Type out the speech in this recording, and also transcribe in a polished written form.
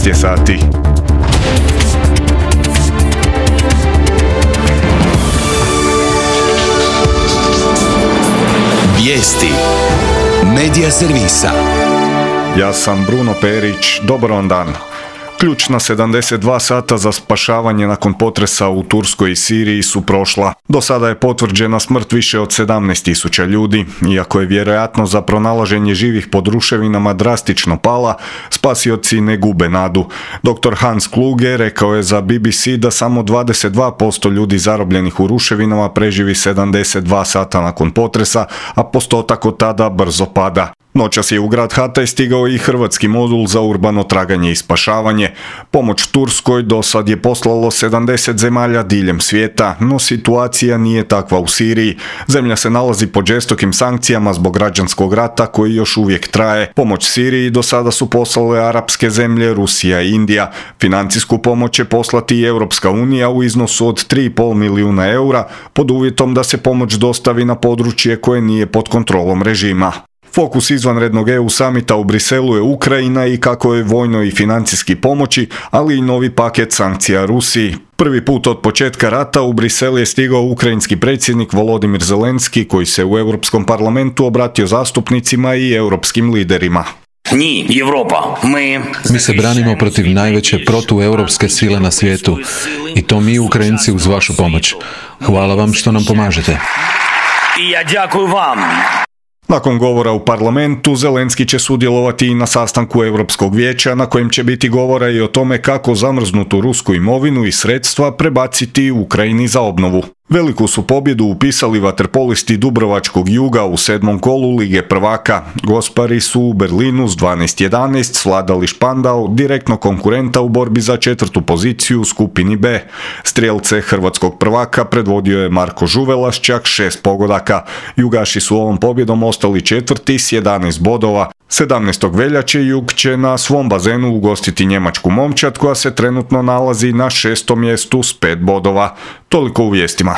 13 je sati. Vijesti Medija servisa. Ja sam Bruno Perić, dobar vam dan. Ključna 72 sata za spašavanje nakon potresa u Turskoj i Siriji su prošla. Do sada je potvrđena smrt više od 17.000 ljudi. Iako je vjerojatno za pronalaženje živih pod ruševinama drastično pala, spasioci ne gube nadu. Dr. Hans Kluge rekao je za BBC da samo 22% ljudi zarobljenih u ruševinama preživi 72 sata nakon potresa, a postotak od tada brzo pada. Noćas je u grad Hatay stigao i hrvatski modul za urbano traganje i spašavanje. Pomoć Turskoj do sad je poslalo 70 zemalja diljem svijeta, no situacija nije takva u Siriji. Zemlja se nalazi pod žestokim sankcijama zbog građanskog rata koji još uvijek traje. Pomoć Siriji do sada su poslale arapske zemlje, Rusija i Indija. Financijsku pomoć će poslati i Europska unija u iznosu od 3,5 milijuna eura, pod uvjetom da se pomoć dostavi na područje koje nije pod kontrolom režima. Fokus izvanrednog EU samita u Briselu je Ukrajina i kako je vojno i financijski pomoći, ali i novi paket sankcija Rusiji. Prvi put od početka rata u Brisel je stigao ukrajinski predsjednik Volodimir Zelenski, koji se u Europskom parlamentu obratio zastupnicima i europskim liderima. Mi se branimo protiv najveće protueuropske sile na svijetu i to mi Ukrajinci uz vašu pomoć. Hvala vam što nam pomažete. Nakon govora u parlamentu, Zelenski će sudjelovati i na sastanku Europskog vijeća na kojem će biti govora i o tome kako zamrznutu rusku imovinu i sredstva prebaciti Ukrajini za obnovu. Veliku su pobjedu upisali vaterpolisti Dubrovačkog Juga u 7. kolu Lige prvaka. Gospari su u Berlinu s 12:11 svladali Špandau, direktno konkurenta u borbi za 4. poziciju u skupini B. Strijelce hrvatskog prvaka predvodio je Marko Žuvela s čak 6 pogodaka. Jugaši su ovom pobjedom ostali četvrti s 11 bodova. 17. veljače Jug će na svom bazenu ugostiti njemačku Momčad koja se trenutno nalazi na 6. mjestu s 5 bodova. Toliko u vijestima.